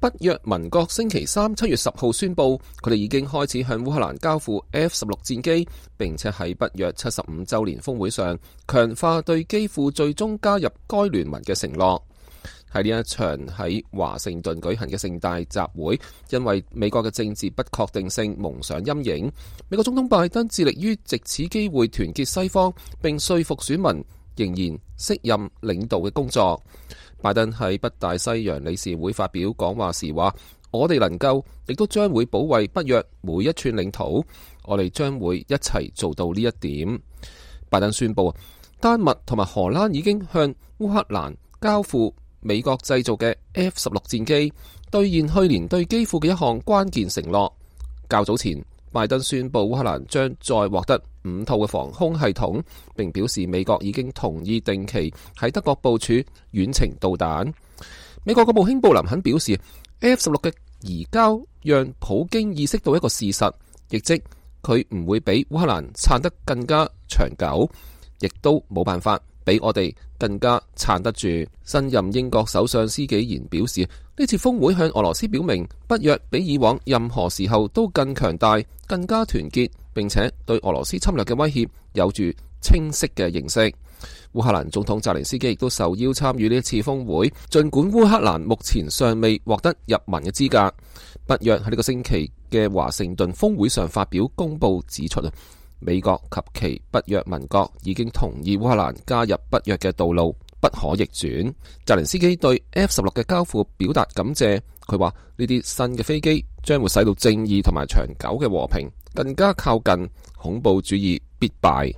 北約盟國星期三7月10號宣布，佢哋已經開始向烏克蘭交付 F-16戰機，並且喺北約75週年峰會上強化對基輔最終加入該聯盟嘅承諾。喺呢一場喺華盛頓舉行嘅盛大集會，因為美國嘅政治不確定性蒙上陰影，美國總統拜登致力於藉此機會團結西方，並說服選民仍然適任領導嘅工作。拜登喺北大西洋理事會發表講話時話：我哋能夠，亦都將會保衛北約每一寸領土，我哋將會一齊做到呢一點。拜登宣布，丹麥同埋荷蘭已經向烏克蘭交付美國製造嘅 F-16戰機，兌現去年對基輔嘅一項關鍵承諾。較早前，拜登宣布烏克蘭將再獲得5套嘅防空系統，並表示美國已經同意定期喺德國部署遠程導彈。美國國務卿布林肯表示 ，F-16 嘅移交讓普京意識到一個事實，亦即佢唔會比烏克蘭撐得更加長久，亦都冇辦法比我哋更加撐得住。新任英國首相施紀賢表示，呢次峰會向俄羅斯表明，北約比以往任何時候都更強大、更加團結，並且對俄羅斯侵略嘅威脅有住清晰嘅認識。烏克蘭總統澤連斯基亦都受邀參與呢一次峰會，儘管烏克蘭目前尚未獲得入盟嘅資格。北約喺呢個星期嘅華盛頓峰會上發表公報指出，美國及其北約盟國已經同意烏克蘭加入北約嘅道路不可逆轉。澤連斯基對 F-16 嘅交付表達感謝，佢話呢啲新嘅飛機將會使到正義同埋長久嘅和平更加靠近，恐怖主義必敗。